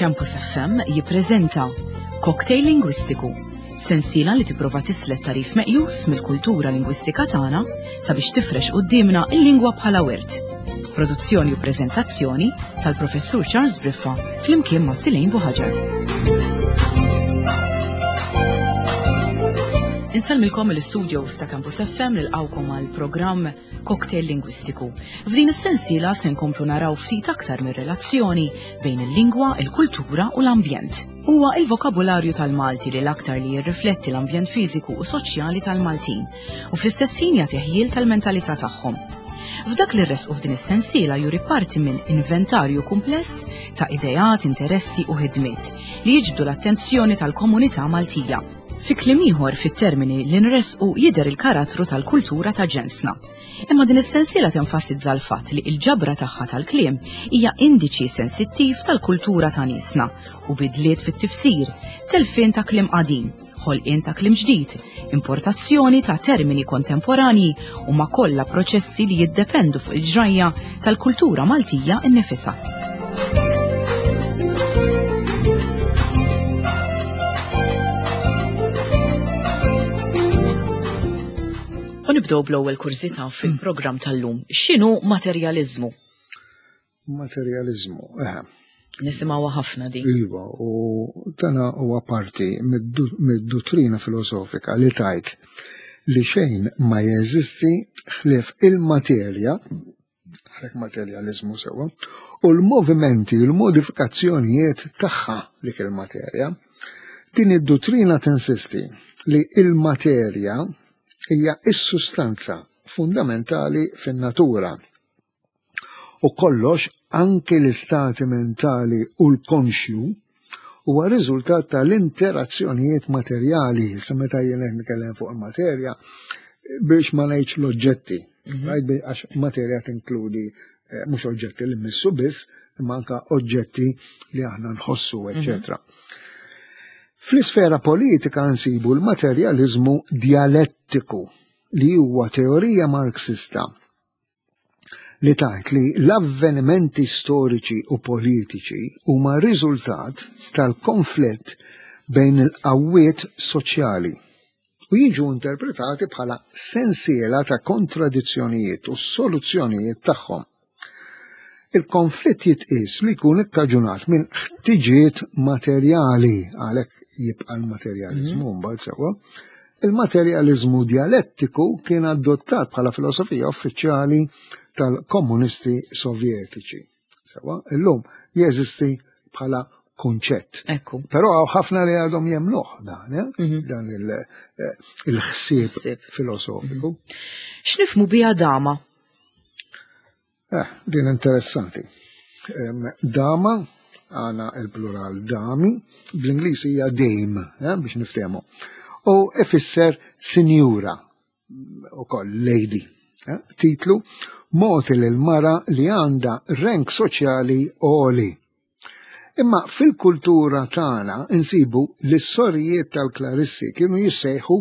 Campus FM jippreżenta Cocktail Lingwistiku, sensiela li tipprova tislet tarif meqjus mill-kultura lingwistika tagħna sabiex tifrex quddiemna l-lingwa bħala wirt. Produzzjoni u preżentazzjoni tal-Professur Charles Briffa flimkien ma' Silejn Buħaġar. Insellmilkom mill-istudios ta' Campus FM nilqgħukom għal programm Cocktail Lingwistiku. F'din is-sensiela se nkomplu naraw ftit aktar mir-relazzjoni bejn il-lingwa, il-kultura u l-ambjent. Huwa il-vokabularju tal-Malti li l-aktar li jirrifletti l-ambjent fiżiku u soċjali tal-Maltin u fl-istess ħin jagħti ħjiel tal-mentalità tagħhom. F'dak li rresqu f'din is-sensiela juri parti minn inventarju kumpless ta' ideat, interessi u ħidmiet li jiġbdu l-attenzjoni tal-komunità Maltija. Fi kliem ieħor fit-termini li nressqu jidher il-karattru tal-kultura ta' ġensna. Imma din is-sensiela tenfasizza l-fatt li l-ġabra tagħha tal-kliem hija indiċi sensittiv tal-kultura ta' niesna u bidliet fit-tifsir, telfien ta' kliem qadim, ħolqien ta' kliem ġdid, importazzjoni ta' termini kontemporanji huma kollha proċessi li jiddependu fuq il-ġrajja tal-kultura Maltija nnifisha. U nibdew bl-ewwel kurżità fil-programm tal-lum. X'inhu materjaliżmu? Materjaliżmu, eħe. Nisimgħuha ħafna din. Iva, u dana huwa parti mid-duttrina filosofika li tajt li xejn ma jeżisti ħlief il-materja, għalhekk materjaliżmu sewwa, u l-movimenti u l-modifikazzjonijiet tagħha dik il-materja. Din id-duttrina tinsisti li il-materja hija s-sustanza fundamentali fin-natura U kollox, anki l-istati mentali u l-konxju, huwa riżultat tal-interazzjonijiet materjali. Issa meta jien qed nitkellem fuq il-materja, biex ma ngħidx l-oġġetti, mhm. għax materja tinkludi eh, mhux oġġetti li mmissu biss, imma anka oġġetti li aħna nħossu, mhm. eċetera. Fl-isfera politika nsibu l-materjaliżmu dialettiku li huwa teorija Marxista li tgħid li l-avvenimenti storiċi u politiċi huma riżultat tal-konflitt bejn il-qawwiet soċjali u jiġu interpretati bħala sensiela ta' kontradizzjonijiet u s-soluzzjonijiet tagħhom. Il-konflitt jitqies li jkun ikkaġunat minn ħtiġiet materjali, għalhekk jibqa' l-materjaliżmu mhm. mbagħad sewwa. Il-materjaliżmu dialettiku kien adottat bħala filosofija uffiċjali tal-komunisti sovjetiċi. Sewwa, illum jeżisti bħala kunċett. Ekku. Però hawn ħafna li għadhom jemnuh dan, eh? mhm. dan eh, il-ħsieb filosofiku. Mhm. X'nifmu biha dama? Eh, din interessanti. Dama, għana il-plural dami, bl-Ingliż hija dame, eh, biex niftehmu. U ifisser sinjura, u koll lady. Eh, titlu, moti lil mara li għandha rank soċjali għoli. Imma fil-kultura tagħna insibu li s-sorijiet tal-Klarissi kienu jissejħu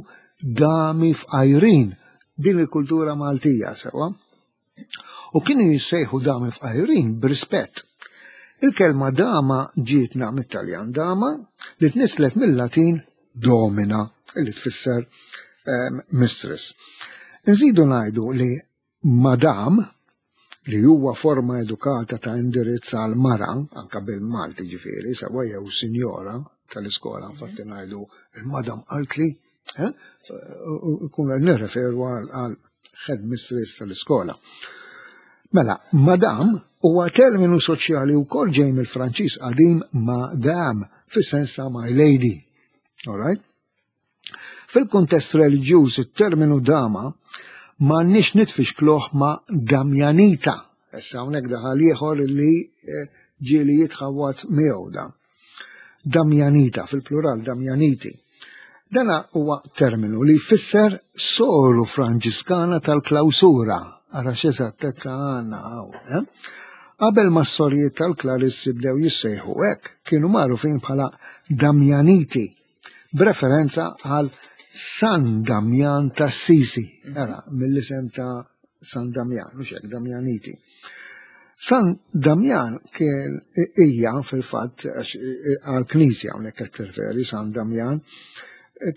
dami fqajrin din il-kultura Maltija sewwa. U kienu jissejħu dami fqajrin b'rispett. Il-kelma dama ġietna mit-Taljan dama li tnislet mill-Latin domina li tfisser ehm, mistress. Nżidu ngħidu li Madam, li huwa forma edukata ta' indirizz għal mara, anka bil-Malti ġifieri, sewwa jew sinjora tal-iskola, infatti ngħidu il-madam qaltli, eh? kun nirreferu għal headmistress tal-iskola. Mela, madam huwa terminu soċjali wkoll ġej mill-Franċiż qadim madam fis-sens ta' my lady. All right? Fil-kuntest reliġjuż it-terminu dama m'għandniex nitfixkluh ma' Damjanita. Issa hawnhekk daħal ieħor li eh, ġieli jitħawwad miegħu dan. Damjanita, fil-plural Damjaniti. Dana huwa terminu li jfisser soru Franġiskana tal-klawsura. Ara x'eżattezza għandna hawn. Eh? Qabel ma s-sorijiet tal-Klarissi bdew jissejħu hekk, kienu magħrufin bħala Damjaniti b'referenza għal San Damjan ta' Sisi, era mill-isem ta' San Damjan, mhux hekk Damjaniti. San Damjan kien hija fil-fatt għal knisja hawnhekk qed tirreferi San Damjan,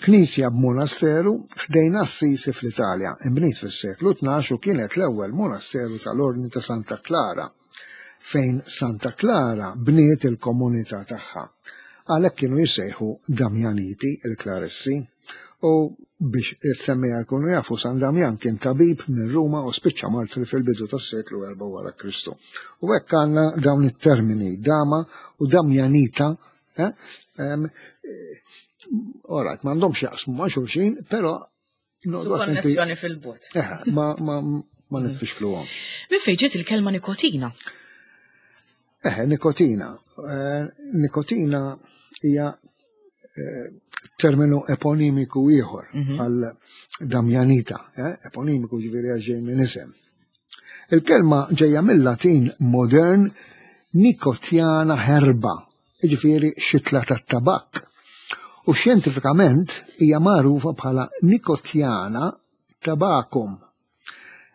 knisja b'monasteru ħdejn Assisi fl-Italja, imbniet fis-seklu 12 u kienet l-ewwel monasteru tal-Ordni ta' Santa Klara, fejn Santa Klara bniet il-komunità tagħha. Għalhekk kienu jissejħu Damjaniti il-Klarissi. U biex is-semmiegħa jkunu jafu, San Damjan kien tabib minn Ruma u spiċċa martri fil-bidu tas-seklu 4 wara Kristu. U hekk għandna dawn it-termini dama u damjanita, eh? Alright, m'għandhomx jaqsmu ma' xulxin, però Konnessjoni fil-bot. Eh, ma ma ma nitfixkluhom. Minn fejn ġiet il-kelma nikotina? Eh, nikotina. Eh, nikotina hija eh, terminu eponimiku ieħor mhm. għal Damjanita, eh, eponimiku ġifieri għax ġej minn isem. Il-kelma ġejja mill-Latin modern nicotiana herba, jiġifieri xitla tat-tabakk. U xjentifikament hija magħrufa bħala Nicotiana tabacum.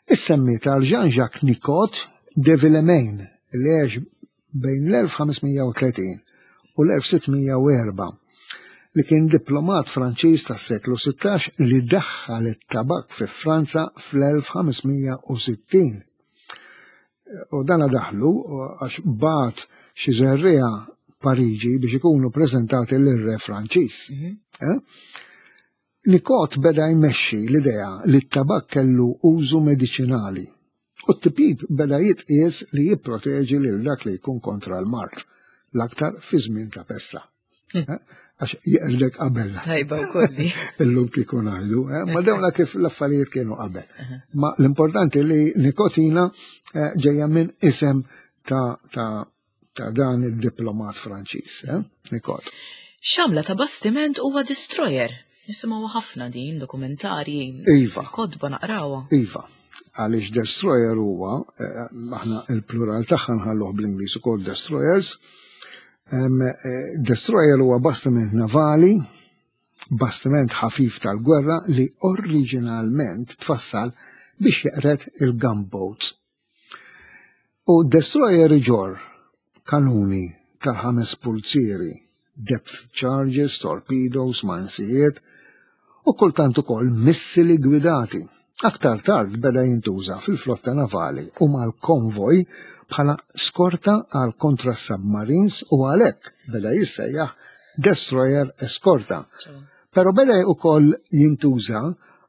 Issemmiet għal Jean-Jacques Nicot de Villemain li għex bejn l-1530 u l-1604 li kien diplomat Franċiż tas-seklu 16 li daħħal it-tabakk fi Franza fl-1560. U dana daħlu għax bagħat xi żerriegħa Pariġi biex ikunu preżentati lir-re Franċiż. Mhm. Eh? Nicot beda jmexxi l-idea li t-tabakk kellu użu mediċinali u t-tipjip beda jitqies li jipproteġi lil dak li jkun kontra l-mard, l-aktar fi żmien ta' pesta. Hm. Eh? Għax jeqrdek qabel. Tajba wkoll. Illum kieku ngħidu, eh? ma dawna kif l-affarijiet kienu qabel. Ma l-importanti li nikotina eh, ġejja minn isem ta' ta' ta' dan id-diplomat Franċiż, eh? Nikot. X'għamla ta' bastiment huwa destroyer? Nisimgħu ħafna din dokumentarji. Iva. Kodba naqrawha. Iva. Għaliex destroyer huwa, eh, aħna il-plural tagħha nħalluh bl-Ingliż ukoll destroyers. Eh, destroyer huwa bastiment navali, bastiment ħafif tal-gwerra li oriġinalment tfassal biex jeqred il-gunboats. U destroyer iġorr kanuni tal-ħames pulzieri, depth charges, torpedoes, mansijiet u kultant ukoll missili gwidati. Aktar tard beda jintuża fil-flotta navali u mal-konvoj bħala skorta għal kontra submarines u għalhekk beda jissejjaħ destroyer eskorta. Però beda ukoll jintuża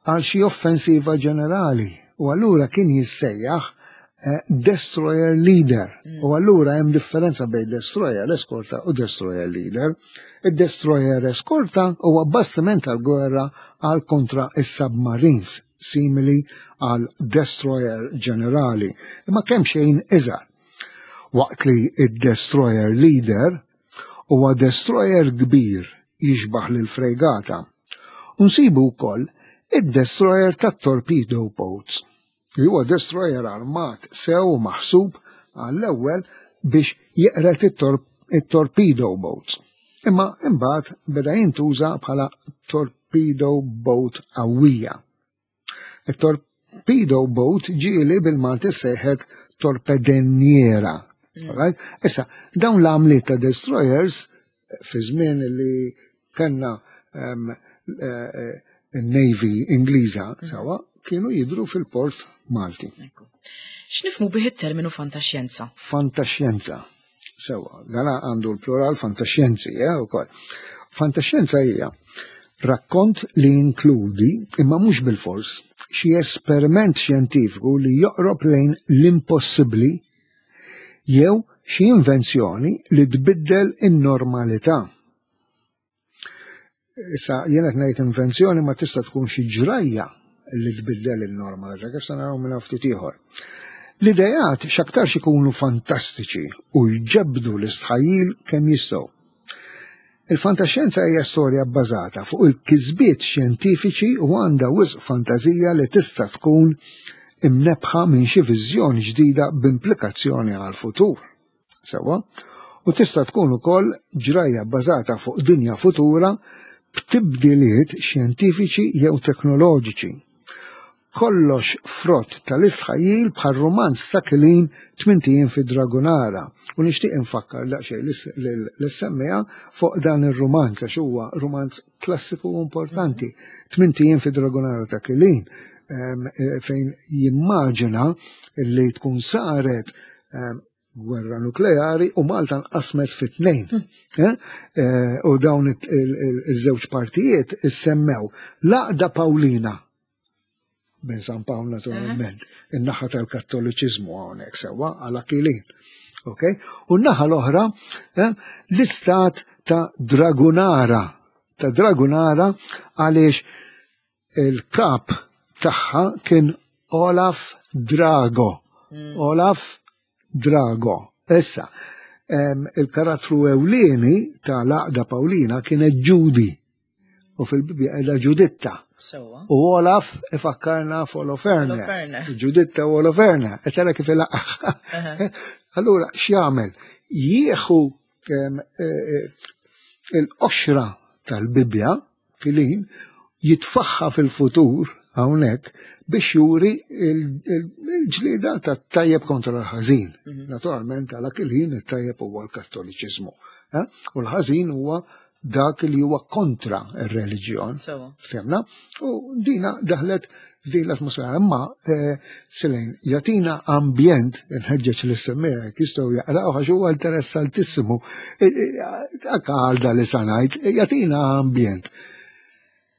għal xi offensiva ġenerali u allura kien jissejjaħ eh, destroyer leader. Mm. U allura hemm differenza bejn destroyer eskorta u destroyer leader. Id-destroyer eskorta huwa bastiment tal-gwerra għal kontra is-submarines simili għal destroyer ġenerali, imma kemm xejn iżgħar. Waqt li id-destroyer leader Huwa destroyer kbir jixbah lil frejgata. U nsibu wkoll id-destroyer tat-torpedo boats, li huwa destroyer armat sew u maħsub għall-ewwel biex jeqred it-torpedo boats. Imma imbagħad beda jintuża bħala torpedo boat qawwija. It-torpedo boat ġieli bil-Malti sejħet torpedenniera. Mm. Right? Issa, dawn l-għamliet ta' destroyers fi żmien li kellna um, uh, Navy Ingliża mm. sawa kienu jidru fil-port Malti. X'nifmu bih it-terminu fantaxjenza? Fantaxjenza. Sewa, dana għandu l-plural fantaxjenzi, eh, ukoll. Fantaxjenza hija rakkont li jinkludi, imma mhux bil-fors, xi esperiment xjentifiku li joqrob lejn l-impossibbli jew xi invenzjoni li tbiddel in-normalità. Issa jien qed ngħid invenzjoni ma tista' tkun xi ġrajja li tbiddel in-normalità kif se naraw minn ftit ieħor. L-idejat x'aktarx ikunu fantastiċi u jġebbdu l-istħajjil kemm jistgħu. Il-fantaxjenza hija storja bbażata fuq il-kisbiet xjentifiċi u għandha wisq fantażija li tista' tkun imnebbħa minn xi viżjoni ġdida b'implikazzjoni għall-futur. Sewwa? U tista' tkun ukoll ġrajja bbażata fuq dinja futura b'tibdiliet xjentifiċi jew teknoloġiċi. Kollox frott tal-istħajjil bħal rumanz ta' Kilin Tmint Ijiem fi Dragunara. U nixtieq infakkar daqsxejn lis-semmiegħa fuq dan ir-rumanz għax huwa rumanz klassiku u importanti. Tmint Ijiem fi Dragunara ta' Kilin fejn jimmaġina li tkun saret gwerra nukleari u Malta nqasmet fi tnejn. Eh? Eh, u dawn iż-żewġ partijiet issemmew l-Għaqda Pawlina minn San Pawl naturalment, in-naħa tal-Kattoliċiżmu hawnhekk sewwa għal Akilin. Ok? U n-naħa l-oħra eh, l-istat ta' Dragunara, ta' Dragunara għaliex il-kap tagħha kien Olaf Drago. Mm. Olaf Drago. Issa, il-karattru ewlieni ta' l-għaqda Pawlina kienet Ġudi. U fil-Bibja qiegħda Ġuditta. U Olaf ifakkarna f'Oloferne. Ġuditta u Oloferne. E tara kif ilaqaħ. Allura x'jagħmel? Jieħu e, e, il-qoxra tal-Bibja Kilin jitfaħħa fil-futur hawnhekk biex juri il-ġlieda ta' tajjeb kontra l-ħażin. Mhm. Naturalment għal Kilin it-tajjeb huwa l-Kattoliċiżmu. Eh? U l-ħażin huwa dak li huwa kontra r-reliġjon. Ftemna? U dina daħlet f'din l-atmosfera. Imma eh, Silejn, jatina ambjent, nħeġġeġ li semmija, jistgħu jaqraw għax huwa interessantissimu. E, e, anka għal da li sanajt, jatina ambjent.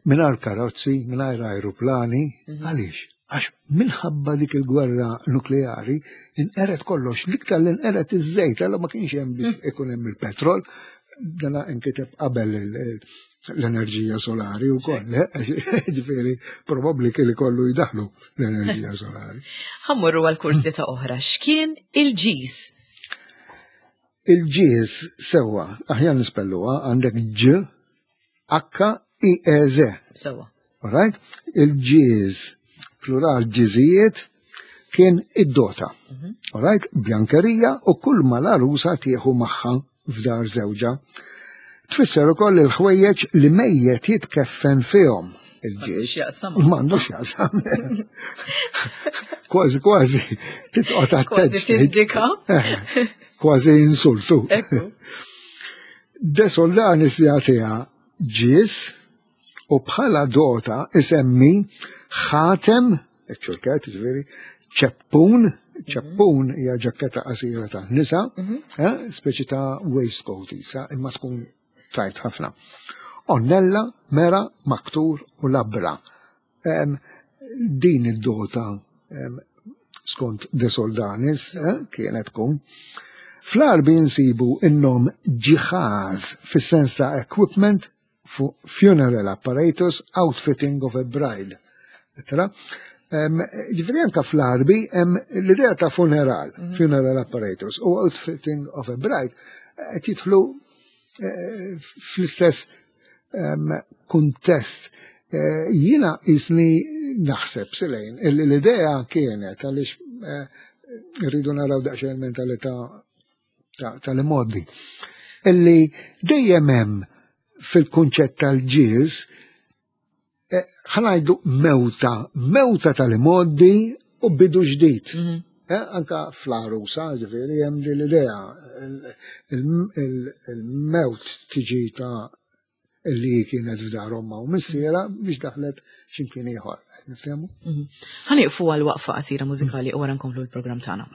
Mingħajr karozzi, mingħajr aeroplani, mhm. għaliex? Għax minħabba dik il-gwerra nukleari inqeret kollox, l-iktar li nqeret iż-żejt, għalla ma kienx hemm biex mhm. ikun hemm il-petrol, dana inkiteb qabel l-enerġija solari u koll, eh? ġifieri probabbli kien ikollu jdaħlu l-enerġija solari. Ħammurru għal kursita oħra, x'kien il-ġiż? Il-ġiż sewwa, aħjar nispelluha għandek ġ H I E Z. Sewwa. All right? Il-ġiż plural ġiżijiet kien id-dota. Mhm. All right? Bjankerija u kull ma l-għarusa tieħu magħha f'dar żewġha. Tfisser ukoll il-ħwejjeġ li mejjet jitkeffen fihom il-ġiex. M'għandux jaqsam. Kważi kważi titqgħod attent. Kważi tindika. Eh, kważi insultu. De Soldanis jagħtiha ġies u bħala dota isemmi ħatem, ċurket ġifieri, ċeppun, ċeppun hija ġakketta qasira ta' nisa, mhm. eh, speċi ta' waistcoat isa, imma tkun tajt ħafna. Onnella, mera, maktur u labra. Din id-dota skont De Soldanis eh, kienet tkun. Fl-Għarbi nsibu in-nom ġiħaz fis-sens ta' equipment funeral apparatus outfitting of a bride. Tra? Ġifieri anka fl-Għarbi hemm l-idea ta' funeral, mhm. funeral apparatus u outfitting of a bride qed jidħlu eh, fl-istess kuntest. Eh, jiena jisni naħseb silejn, l-idea kienet għaliex eh, rridu naraw daqsxejn mentalità tal-imoddi. Illi dejjem hemm fil-kunċett tal-ġiż eh, ħanajdu mewta, mewta tal-imoddi u bidu ġdid. Mhm. Eh, anka fl-arusa, ġifieri hemm din l-idea il-mewt tiġi ta' li kienet f'dar omma u missiera biex daħlet x'imkien ieħor. Nifhemu? Mhm. Ħanieqfu għal waqfa qasira mużikali u wara nkomplu l-programm tagħna.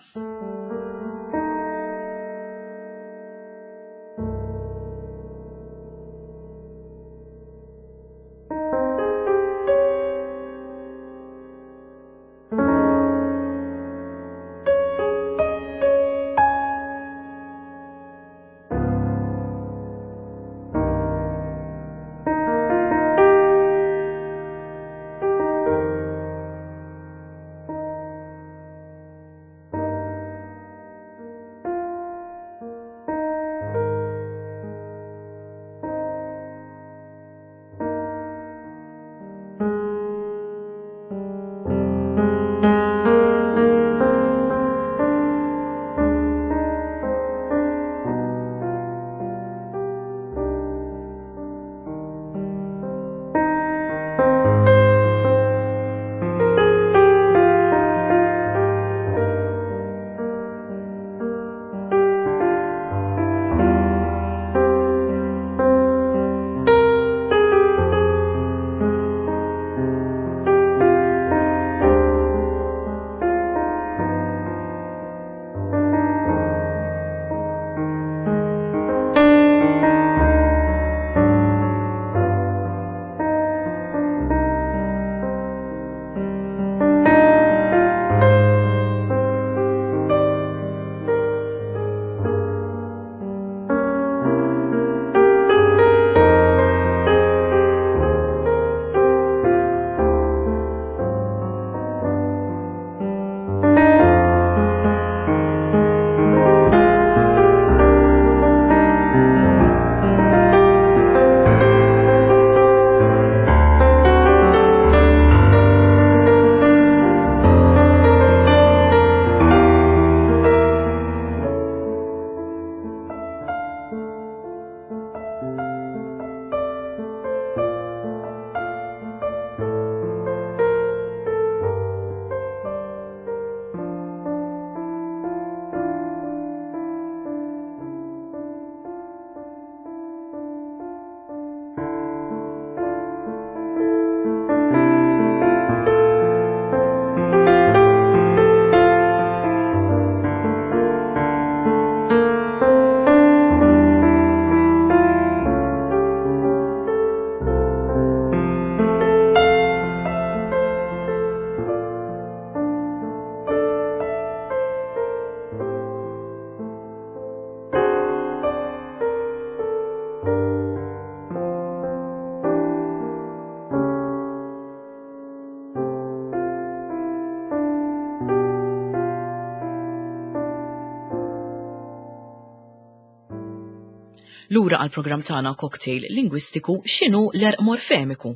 Lura għall-programm tagħna Cocktail Lingwistiku, x'inhu l-għerq morfemiku?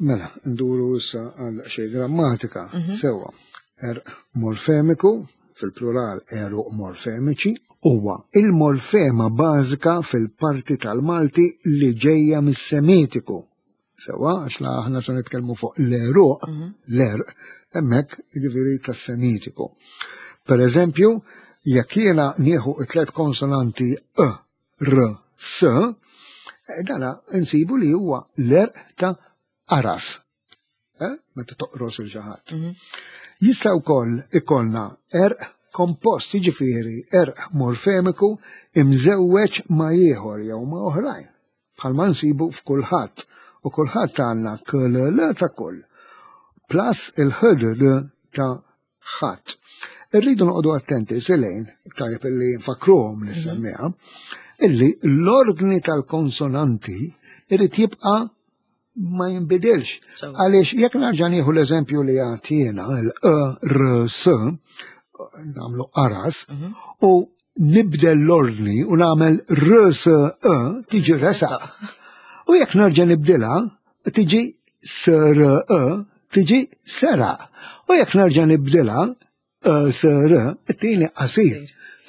Mela, nduru issa għal xi grammatika mhm. sewwa. Għerq morfemiku, fil-plural għeruq morfemiċi, huwa il-morfema bażika fil-parti tal-Malti li ġejja mis-Semitiku. Sewwa, għax la aħna se nitkellmu fuq l-għeruq, mhm. l-għerq, hemmhekk jiġifieri tas-Semitiku. Per eżempju, jekk jiena nieħu it-tlet konsonanti e, r, s, eh, dana nsibu li huwa l-għerq ta' aras. Eh? Meta toqros il xi ħadd. Mhm. Jista' wkoll ikollna għerq kompost, jiġifieri għerq morfemiku imżewweġ ma' ieħor jew ma' oħrajn. Bħalma nsibu f'kulħadd. U kulħadd għandna KLL ta' kull. Plus il-HDD ta' ħadd. Irridu noqogħdu attenti silejn, tajjeb illi nfakruhom li mhm. semmiha, illi l-ordni tal-konsonanti irid jibqa' ma jinbidilx. Għaliex jekk narġa' nieħu l-eżempju li għatjena l-E R S nagħmlu aras mhm. u nibdel l-ordni u nagħmel R S E tiġi resa. U jekk nerġa' nibdilha tiġi S R E tiġi sera. U jekk nerġa' nibdilha E S R it-tieni qasir.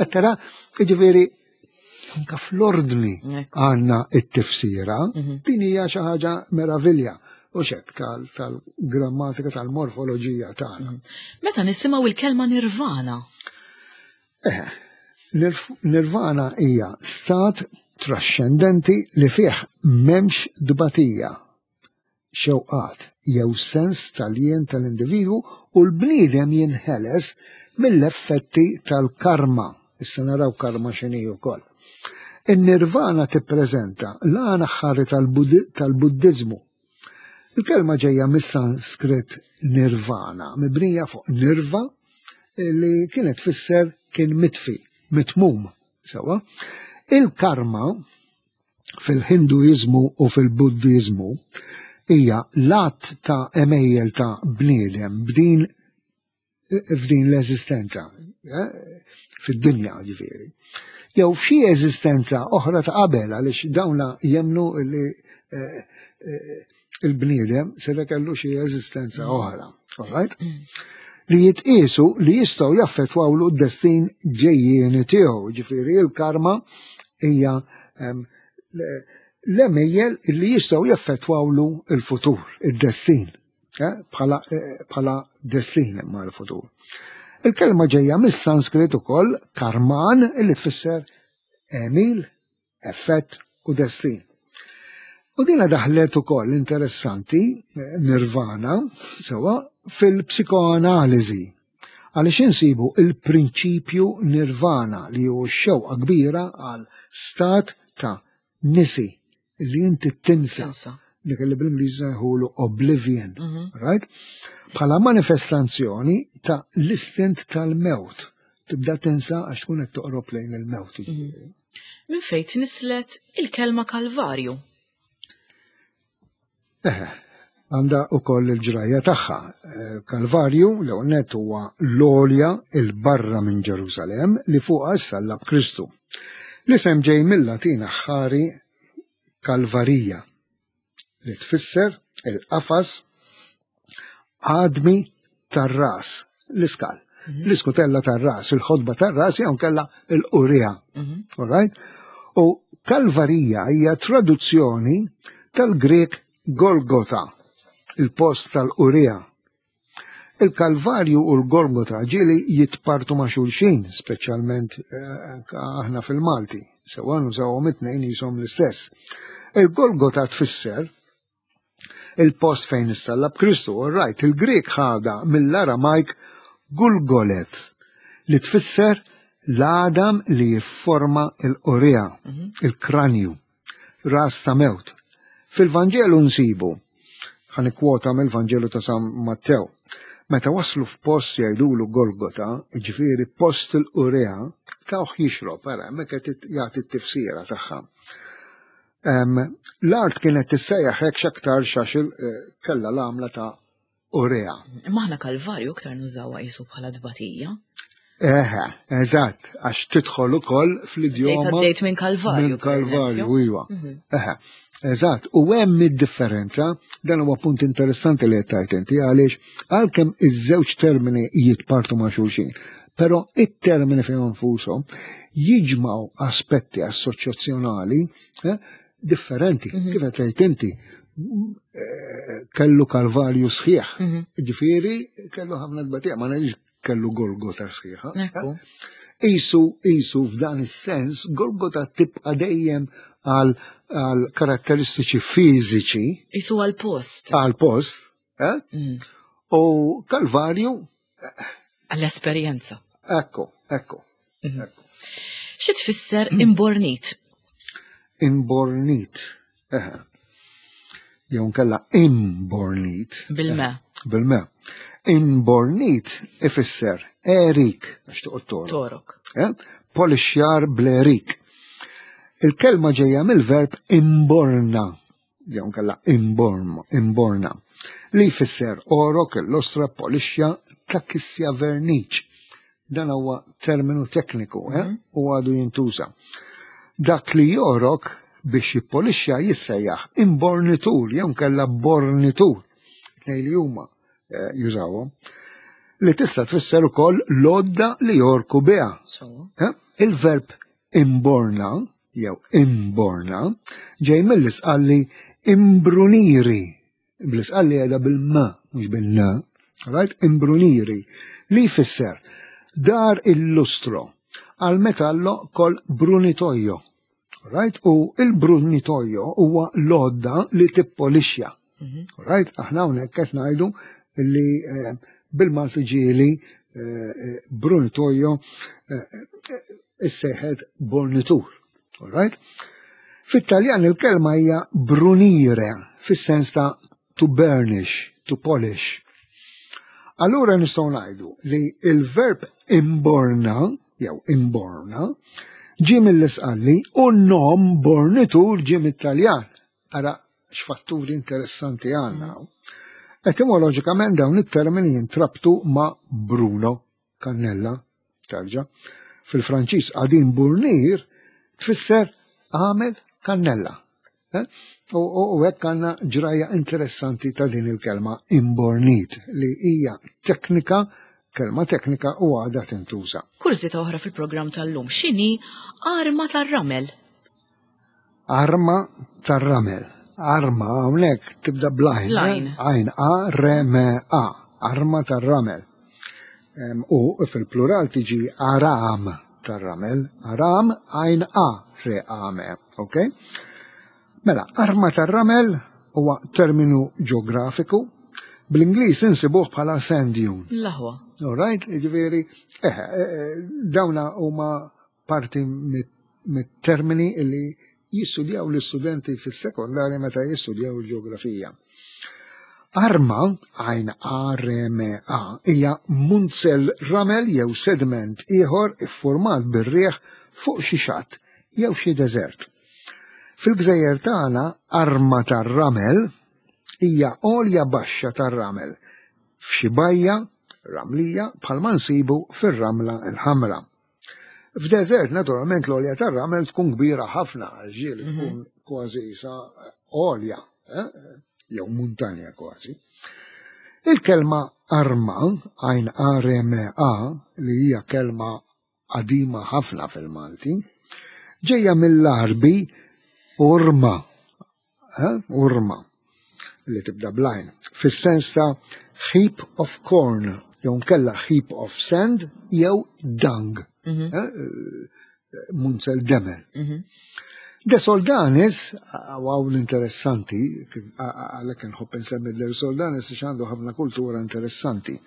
Tara, jiġifieri anka fl-ordni għandna it-tifsira, mhm. din hija xi ħaġa meravilja u xek tal-grammatika tal-morfoloġija tagħna. Mhm. Meta nisimgħu il-kelma nirvana, Eh, nirvana hija stat traxxendenti li fih m'hemmx tbatija, xewqat jew sens tal-jien tal-individwu u l-bniedem jinħeles mill-effetti tal-karma. Issa naraw karma x'inhi wkoll. In-nirvana tippreżenta l-għan aħħari tal-Buddiżmu. Il-kelma ġejja mis-Sanskrit nirvana, mibnija fuq nirva li kienet tfisser kien mitfi, mitmum, sewwa. Il-karma fil-Ħinduiżmu u fil-Buddiżmu hija l-att ta' għemejjel ta' bniedem b'din f'din l-eżistenza, eh, fid-dinja ġifieri. Jew f'xi eżistenza oħra ta' qabel għaliex dawna jemnu li eh, eh, il-bniedem se kellu xi eżistenza mm. oħra. All right? Mm. Li jitqiesu li jistgħu jaffettwawlu d-destin ġejjieni tiegħu, ġifieri il-karma hija l-emejjel li jistgħu jaffettwawlu il-futur, id-destin. Eh, bħala eh, bħala destin imma l-futur. Il-kelma ġejja mis-Sanskrit ukoll karman illi tfisser emil, effett u destin. U dina daħlet ukoll interessanti eh, nirvana sewa fil-psikoanaliżi għaliex insibu il-prinċipju nirvana li hu x-xewqa kbira għal stat ta' nisi li inti tinsa. Dik li bl-Ingliż jħulu oblivion, mhm. right? Bħala manifestazzjoni ta' l-istint tal-mewt. Tibda tinsa għax tkun qed toqrob lejn il-mewt. Mhm. Minn fejn tnislet il-kelma Kalvarju? Eħe, għandha ukoll il-ġrajja tagħha. Kalvarju l net huwa l-għolja il barra minn Ġerusalemm li fuqha ssallab Kristu. L-isem ġej mill-Latin aħħari Kalvarija li tfisser il-qafas għadmi tar-ras, l-iskal, mhm. l-iskutella tar-ras, il-ħodba tar-ras jew kella l-qurija. Mhm. All right? U Kalvarija hija traduzzjoni tal-Grek Golgota, il-post tal-qurija. Il-Kalvarju u l-Golgota ġieli jitpartu ma' xulxin, speċjalment eh, aħna fil-Malti, sewa nużawhom it-tnejn jisom l-istess. Il-Golgota tfisser il-post fejn issallab Kristu, all right, il-Grieg ħada mill-Aramajk Gulgolet, li tfisser l-għadam li jifforma l-qoria, mhm. il-kranju, ras ta' mewt. Fil-Vanġelu nsibu, ħan kwota mill-Vanġelu ta' San Mattew, meta waslu f'post jgħidulu Golgota, ġifieri post il-qurea, tawh jixrob, ara, hemmhekk qed jagħti t-tifsira tagħha. L-art kienet tissejjaħ hekk x'aktarx għax eh, kellha l-għamla ta' urea. Imma aħna Kalvarju aktar nużawha qisu bħala tbatija. Eħe, eżatt, għax tidħol ukoll fl-idjoma. Għaddejt minn Kalvarju. Minn Kalvarju, iva. Mhm. Eħe, eżatt, u hemm id-differenza, dan huwa punt interessanti li qed tgħid inti għaliex għalkemm iż-żewġ termini jitpartu ma' xulxin, però it-termini fihom infushom jiġmaw aspetti assoċjazzjonali eh, differenti, mhm. kif qed tgħid inti eh, kellu kalvarju sħiħ. Mhm. Ġifieri kellu ħafna tbatija, ma ngħidx kellu Golgota sħiħa. Isu, isu f'dan is-sens, Golgota tibqa' dejjem għal għal karatteristiċi fiżiċi. Isu għal post. Għal post, eh? Mm. U Kalvarju. Eh, Għall-esperjenza. Ekku, ekku. Mhm. ekku. Xi tfisser imbornit? Imbornit. Eh. Jew nkella imbornit. Bil-me. Eh, bil-me. Imbornit ifisser erik, għax toqgħod torok. Torok. Eh? Polixjar bl-erik. Il-kelma ġejja mill-verb imborna, jew nkella imborn, imborna, li jfisser orok, illostra, polixja, ta' kisja verniċ. Dan huwa terminu tekniku eh? Mhm. u għadu jintuża. Dak li jorok biex jippolixxa jissejjaħ imbornitur jew nkella bornitur. Tnej li huma eh, jużawhom. Li tista' tfisser ukoll lodda li jorku biha. Eh? Il-verb imborna jew imborna ġej mill-isqalli imbruniri Bl-isqalli qiegħda bil-m, mhux bil-n, right? Imbruniri, li jfisser dar il-lustro għal metallo kol brunitojo. Right? U il-brunitojo huwa l-għodda li tippolixxa. Mhm. Right? Aħna hawnhekk qed ngħidu li eh, bil-Malti ġieli eh, eh, brunitojo issejħet bornitur. All right? Fit-Taljan il-kelma hija brunire, fis-sens ta' to burnish, to polish. Allura nistgħu ngħidu li il-verb imborna jew imborna ġie mill-isqalli u n-nom bornitur ġie mit-Taljan. Ara x'fatturi interessanti għandna. Etimoloġikament dawn it-termini jintrabtu ma' Bruno kannella, tarġa. Fil-Franċiż qadim burnir tfisser għamel kannella. Eh? U hekk għandna ġrajja interessanti ta' din il-kelma imbornit li hija teknika kelma teknika u għadha tintuża. Kurżita oħra fil-programm tal-lum x'inhi arma tar-ramel? Arma tar-ramel. Arma hawnhekk tibda bl-għajn. L-għajn. Għajn A R M A. Arma tar-ramel. U fil-plural tiġi aram tar-ramel. Aram għajn A R A M. Ok? Mela, arma tar-ramel huwa terminu ġeografiku. Bl-Ingliż insibuh bħala sand dune. L-aħwa. All right, ġifieri, eh, eh, dawna huma parti mit-termini li jistudjaw l-istudenti fis-sekondarja meta jistudjaw il-ġeografija. Arma, għajn A-R-M-A, hija munzell ramel jew sediment ieħor iffurmat bir-riħ fuq xi xatt jew xi deżert. Fil-gżejjer tagħna arma tar-ramel hija għolja baxxa tar-ramel f'xi bajja ramlija bħalma nsibu fir-Ramla l-Ħamra. F'deżert, naturalment, l-olja tar-ramel tkun kbira ħafna, ġieli mhm. tkun kważi sa olja, eh? jew muntanja kważi. Il-kelma arma, għajn R-M-A, li hija kelma qadima ħafna fil-Malti, ġejja mill-Arbi urma, eh? urma, li tibda blajn, fis-sens ta' heap of corn, jew nkella heap of sand, jew dung, mm -hmm. eh, munzel demel. Mm -hmm. De Soldanis, għaw l-interessanti, għalek nħobb nsemmi De Soldanis għax għandu ħafna kultura interessanti,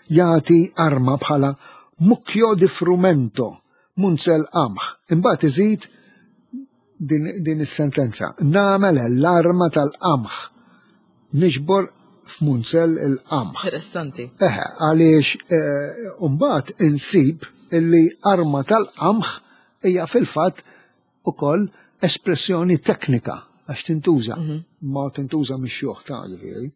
jagħti arma bħala mucchio di frumento, munzel qamħ. Imbagħad iżid din, din is-sentenza. Nagħmel l-arma tal-qamħ. Niġbor f'munzell il-qamħ. Interessanti. Eħe, għaliex eh, mbagħad insib illi arma tal-qamħ hija fil-fatt ukoll espressjoni teknika għax tintuża. Mhm. Ma tintuża mix-xjuħ ta' ġifieri.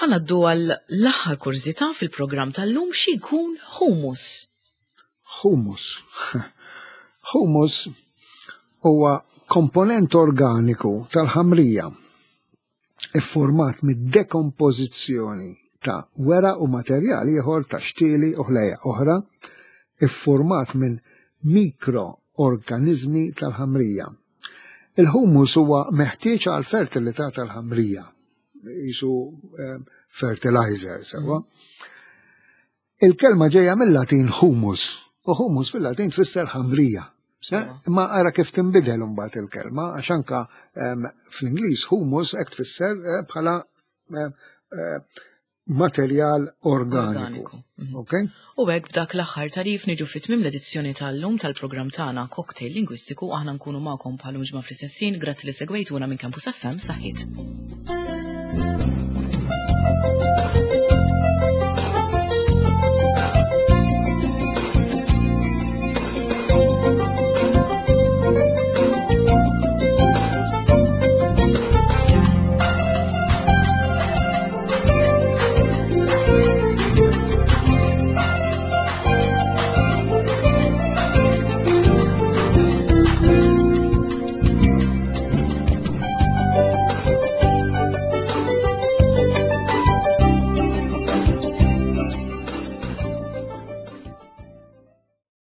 Ħa ngħaddu għal l-aħħar kurżità fil-programm tal-lum xi jkun humus. Humus. Humus huwa komponent organiku tal-ħamrija iffurmat mid-dekompożizzjoni ta' weraq u materjal ieħor ta' xtieli u ħlejjaq oħra iffurmat minn mikro-organiżmi tal-ħamrija. Il-humus huwa meħtieġ għall-fertilità tal-ħamrija, qisu eh, fertilizer, sewwa. Il-kelma ġejja mill-Latin humus, u humus fil-Latin tfisser ħamrija. Imma ara kif tinbidel imbagħad il-kelma, għax anka ehm, fl-Ingliż humus hekk tfisser eh, bħala eh, eh, materjal organiku. Mhm. Okay? U hekk b'dak l-aħħar tarif niġu fit tmiem l-edizzjoni tal-lum tal-programm tagħna Cocktail Lingwistiku aħna nkunu magħkom bħal ġimgħa fl-istess ħin, grazzi li segwejtuna minn Campus FM saħħit.